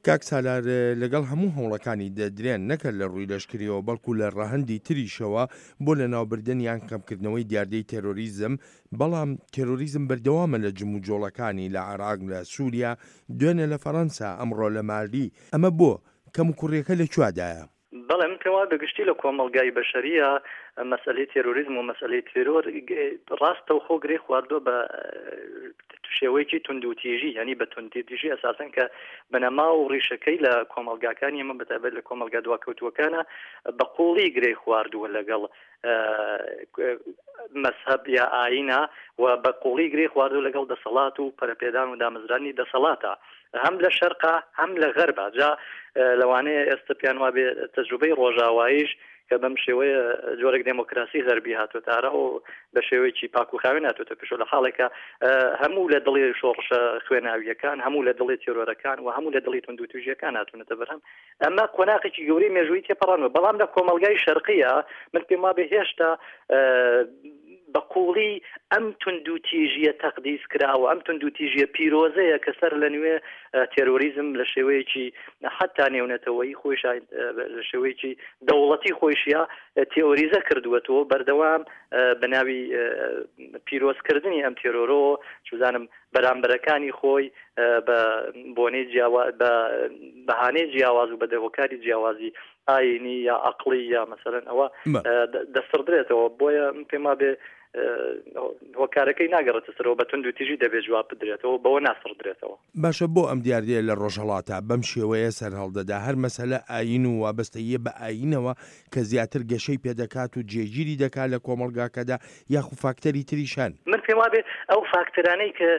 کاک سالار لەگەڵ هەموو هەوڵەکانی دەدرێن نەک هەر لە ڕووی لەشکریەوە بەڵکو لە ڕەهەندی تریشەوە بۆ لەناوبردن یان کەمکردنەوەی دیاردەی تێرۆریزم، بەڵام تێرۆریزم بەردەوامە لە جموجۆڵەکانی لە عێراق، لە سوریا، دوێنێ لە فەرەنسا، ئەمڕۆ لە مالی، ئەمە بۆ؟ کەموکوڕیەکە لە کوادایە؟ بەڵێ من پێم وایە بە گشتی لە کۆمەڵگای بەشەرییا مەسئەلەی تێرۆریزم و مەسئەلەی تێرۆر ڕاستەوخۆ گرێ خواردووە بە شێوەیەکی توندوتیژی یعنی بە توندتیژی ئەساسەن کە بنەما و ڕیشەکەی لە کۆمەڵگاکانی ئێمە بەتایبەت لە کۆمەڵگا دواکەوتووەکانە بە قوڵی گرێ خواردووە لەگەڵ مەزهەب یا ئایینە و بە قوڵی گرێ خواردوو لەگەڵ دەسەڵات و پەرەپێدان و دامەزرانی دەسەڵاتە هەم لە شەرقا هەم لە غەربا جا لەوانەیە ئێستا پێیان وابێ تەجروبەی ڕۆژاواییش کە بەم شێوەیە جۆرێک دێمۆکراسی غەربی هاتۆتە ئارا و بە شێوەیەکی پاک و خاوێن هاتۆتە پێشەوە لە حاڵێکە هەموو لە دڵی شۆڕشە خوێناوییەکان هەموو لە دڵی تێرۆرەکان و هەموو لە دڵی توندوتیژیەکان هاتوونەتە بەرهەم ئەمە قۆناغێکی گەورەی مێژوویی تێپەڕاندوە، بەڵام لە کۆمەڵگای شەرقیە من پێم وابێ هێشتا بە قوڵی ئەم توندوتیژیە تەقدیس کراوە، ئەم توندوتیژیە پیرۆزەیە کە سەر لە نوێ تێرۆریزم لە شێوەیەکی حتا نێونەتەوەیی خۆیش لە شێوەیەکی دەوڵەتی خۆیشە تێئۆریزە کردووەتەوە بەردەوام بە ناوی پیرۆزکردنی ئەم تێرۆرەوە چوزانم بەرامبەرەکانی خۆی بە بۆنەی جیاوا بە بەهانەی جیاواز و بە هۆکاری جیاوازی ئاینی یا عقلی یا مەسەرەن ئەوە دەسڕدرێتەوە بۆیە من پێم وابێ هۆکارەکەی ناگەڕێتە سەرەوە بە توند و تیژی دەبێت جواب بدرێتەوە بەوە ناسڕدرێتەوە. باشە بۆ ئەم دیاردەیە لە ڕۆژهەڵاتا بەم شێوەیە سەرهەڵدەدا؟ هەر مەسەلە ئایین و وابەستەییە بە ئایینەوە کە زیاتر گەشەی پێدەکات و جێگیری دەکات لە کۆمەڵگاکەدا یاخو فاکتەری تریش هەن؟ من پێم وابێ ئەو فاکتەرانەی کە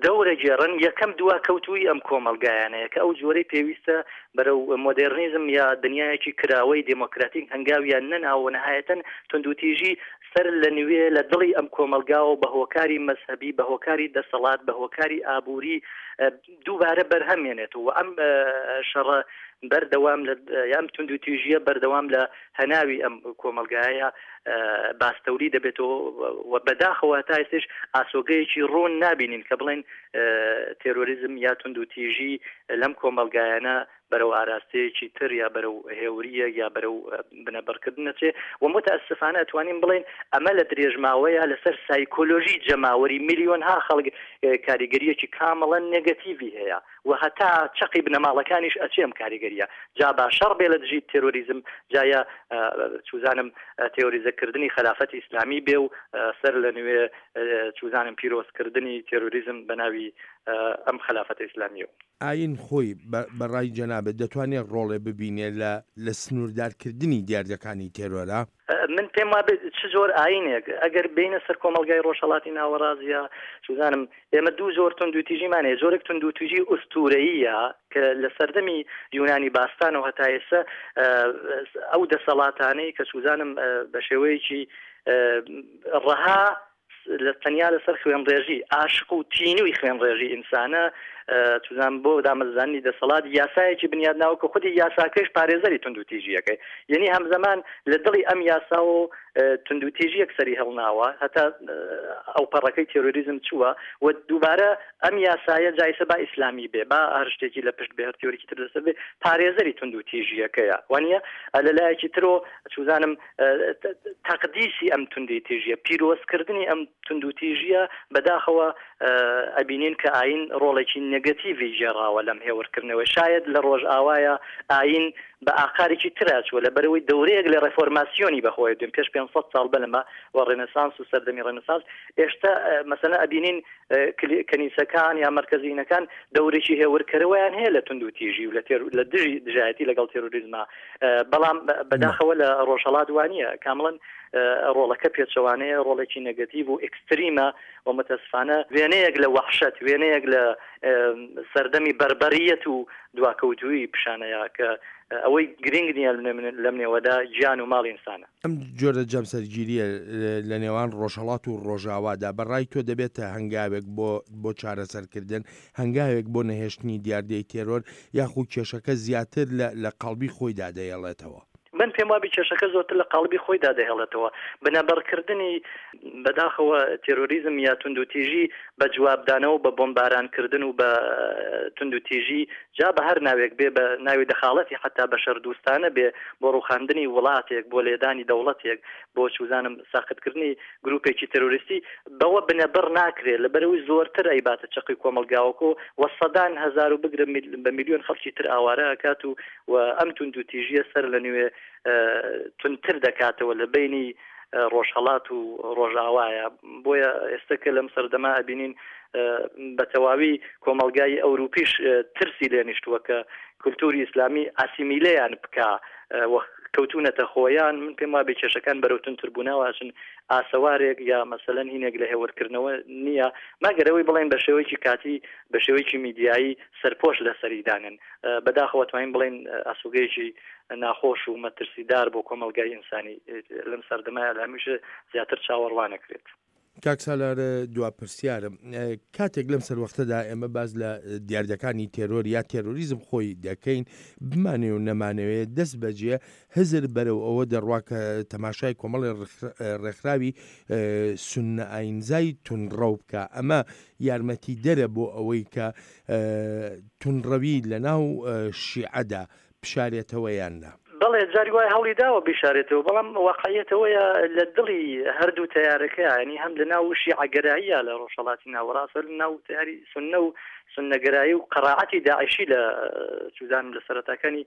دەورەگێڕن یەکەم دواکەوتوویی ئەم کۆمەڵگایانەیە کە ئەو جۆرەی پێویستە بەرەو مۆدێرنیزم یا دنیایەکی کراوەی دێمۆکراتیک هەنگاویان نەناوە و نەهایەتەن توندوتیژی سەر لە نوێ لە دڵی ئەم کۆمەڵگاوە بە هۆکاری مەزهەبی بە هۆکاری دەسەڵات بە هۆکاری ئابووری دووبارە بەرهەم هێنێتەوە و ئەم شەڕە بەردەوام لە ئەم توندوتیژییە بەردەوام لە هەناوی ئەم کۆمەڵگایە باستەولی دەبێتەوە و بەداخەوە تا ئێستش ئاسۆگەیەکی ڕوون نابینین کە بڵێن تێرۆریزم یا توندوتیژی لەم کۆمەڵگایانە بەرەو ئاراستەیەکی تر یا بەرەو هێورییەک یا بەرەو بنەبڕکردن ئەچێ و موتەئەسفانە ئەتوانین بڵێین ئەمە لە درێژماوەیا لەسەر سایکۆلۆژی جەماوەری ملیۆنها خەڵک کاریگەرییەکی کامڵەن نێگەتیڤی هەیە و هەتا چەقی بنەماڵەکانیش ئەچێ ئەم کاریگەرییە جا با شەڕ بێ لە دژی تێرۆریزم جا یا چوزانم تێۆریزەکردنی خەلافەتی ئیسلامی بێ و سەر لە نوێ چوزانم پیرۆزکردنی تێرۆریزم بە ناوی ئەم خەلافەتە ئیسلامییەوە. ئایین خۆی بە ڕای جەنابت دەتوانێ ڕۆڵێ ببینێ لە لە سنووردارکردنی دیاردەکانی تێرۆرا؟ من پێم وابێ چ جۆر ئایینێک، ئەگەر بێینە سەر کۆمەڵگای ڕۆژهەڵاتی ناوەڕاست یا چوزانم ئێمە دوو جۆر توندوتیژیمان هەیە، جۆرێک توندوتیژی ئوستوورەییە کە لە سەردەمی یونانی باستانەوە هەتا ئێستا ئەو دەسەڵاتانەی کە چوزانم بە شێوەیەکی ڕەها لە تەنیا لەسەر خوێنڕێژی ئاشق و تینووی خوێنڕێژی ئینسانە چزان بۆ دامەزرانی دەسەڵات یاسایەکی بنیادناوە کە خودی یاساکەش پارێزەری توندوتیژیەکەی یعنی هەمزەمان لە دڵی ئەم یاسا و توندوتیژیەک سەری هەڵناوە هەتا ئەو پەڕەکەی تێرۆریزم چووە و دووبارە ئەم یاسایە جایسە با ئیسلامی بێ با هەر شتێکی لە پشت بێ هەر تیۆریکی تر لەسەر بێ پارێزەری توندوتیژیەکەیە وانە لە لایەکی ترۆ چوزانم تەقدیسی ئەم توندوتیژیە، پیرۆزکردنی ئەم توندوتیژیە، بەداخەوە ئەبینین کە ئایین ڕۆڵێکی نێگەتیڤی گێڕاوە لەم هێورکردنەوەی. شایەد لە ڕۆژئاوایا ئایین بە ئاقارێکی ترا چووە، لەبەرئەوەی دەورەیەک لە ڕێفۆرماسیۆنی بەخۆیە دوێن پێش 500 ساڵ بەلەمە و ڕێنێسانس و سەردەمی ڕێنێسانس، ئێشتا مەسەلەن ئەبینین کەنیسەکان یا مەرکەزینەکان دەورێکی هێورکەرەوەیان هەیە لە توندوتیژی و لە دژی دژایەتی لەگەڵ تێرۆریزما بەڵام بەداخەوە لە ڕۆژهەڵات وانە کامڵەن ڕۆڵەکە پێچەوانەیە ڕۆڵێکی نەگەتیڤ و ئێکستریمە و متەسفانە وێنەیەک لە وەحشەت وێنەیەک لە سەردەمی بەربەریەت و دواکەوتووی پیشانەیە کە ئەوەی گرنگ نییە لەم نێوەدا گیان و ماڵی ئینسانە. ئەم جۆرە جەمسەرگیرییە لە نێوان ڕۆژهەڵات و ڕۆژاوادا بە ڕای تۆ دەبێتە هەنگاوێک بۆ بۆ چارەسەرکردن، هەنگاوێک بۆ نەهێشتنی دیاردەی تێرۆر یاخو کێشەکە زیاتر لە لە قاڵبی خۆیدا دەیەڵێتەوە؟ من پێم وابی کێشەکە زۆرتر لە قاڵبی خۆیدا دەهێڵێتەوە. بنەبڕکردنی بەداخەوە تێرۆریزم یا توندوتیژی بە جوابدانەوە بە بۆمبارانکردن و بە توندوتیژی جا بە هەر ناوێک بێ بە ناوی دەخاڵەتی حەتا بەشەردوستانە بێ بۆ ڕوخاندنی وڵاتێک بۆ لێدانی دەوڵەتێک بۆ چوزانم ساقتکردنی گروپێکی تێرۆریستی بەوە بنەبڕ ناکرێ لەبەرئەوەی زۆرتر ئەیباتە چەقی کۆمەڵگاوەکۆ و سەدان هەزار و بگرە بە میلیۆن خەڵکی تر ئاوارە ئەکات و و ئەم توندوتیژیە سەر لە نوێ توندتر دەکاتەوە لە بەینی ڕۆژهەڵات و ڕۆژئاوایە بۆیە ئێستا کە لەم سەردەما ئەبینین بە تەواوی کۆمەڵگای ئەوروپیش ترسی لێ نیشتووە کە کولتوری ئیسلامی ئاسیمیلەیان بکا و کەوتونەتە خۆیان من پێم وابێ کێشەکان بەرەو توندتربوونەوە ئەچن ئاسەوارێک یا مەسەلەن هینێک لە هێورکردنەوە نییە مەگەر ئەوەی بڵێن بە شێوەیەکی کاتی بە شێوەیەکی میدیایی سەرپۆش لەسەری دانێن بەداخەوە توانین بڵێن ئاسوگەیەکی ناخۆش و مەترسیدار بۆ کۆمەڵگای ئینسانی لەم سەردەمایە لە هەمیشە زیاتر چاوەڕوانەکرێت. کاک سالار دوا پرسیارم کاتێک لەم سەروەختەدا ئێمە باس لە دیاردەکانی تێرۆر یا تێرۆریزم خۆی دەکەین بمانەوێ و نەمانەوێ دەست بەجێ هزر بەرەو ئەوە دەڕوا کە تەماشای کۆمەڵی ڕێکخراوی سوننە ئاینزای تونڕەو بکە ئەمە یارمەتی دەرە بۆ ئەوەی کە تونڕەوی لە ناو شیعەدا بشارێتەوە یان نا؟ بەڵێ جاری وایە هەوڵی داوە بیشارێتەوە، بەڵام واقعیەت ئەوەیە لە دڵی هەردوو تەیارەکە یانی هەم لە ناو شیعەگەراییە لە ڕۆژهەڵاتی ناوەڕاست هەر لە ناو تەیاری سوننە و سوننەگەرایی و قەراعەتی داعشی لە چوزانم لە سەرەتاکانی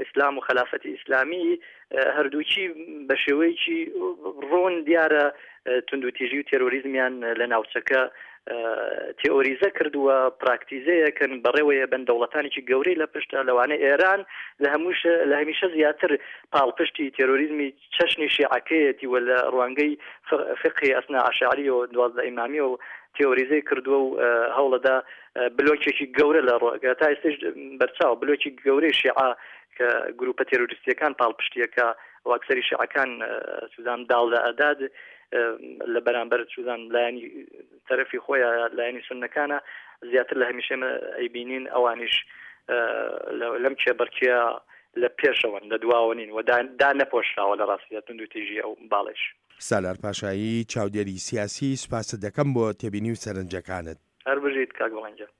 ئیسلام و خەلافەتی ئیسلامی هەردووکی بە شێوەیەکی ڕوون دیارە توندوتیژی و تێرۆریزمیان لە ناوچەکە تێئۆریزە کردووە، پراکتیزەیەکن، بەڕێوەیە بن، دەوڵەتانێکی گەورەی لە پشتە، لەوانە ئێران لە هەمووش لە هەمیشە زیاتر پاڵپشتی تێرۆریزمی چەشنی شیعەکەیەتی و لە ڕوانگەی فقهی ئەسنا عەشاریەوە 12 ئیمامیەوە تێئۆریزەی کردووە و هەوڵەدا بلۆکێکی گەورە لە ڕۆ تا ئێستاش بەرچاو بلۆکی گەورەی شیعە کە گروپە تێرۆریستیەکان پاڵپشتیەکە و ئەکسەری شیعەکان سوزان داڵدە ئەدات لە بەرامبەر چوزان لایەنی تەرەفی خۆیان لایەنی سوننەکانە زیاتر لە هەمیشە ئەیبینین ئەوانیش لەم کێبڕکێ لە پێشەوەن لە دواوە نین و دا نەپۆشراوە لە ڕاستیدا توندوتیژی ئەو باڵیش. سالار پاشایی، چاودێری سیاسی، سوپاست دەکەم بۆ تێبینی و سەرنجەکانت. هەر بژیت کاک بەڵێن گیان.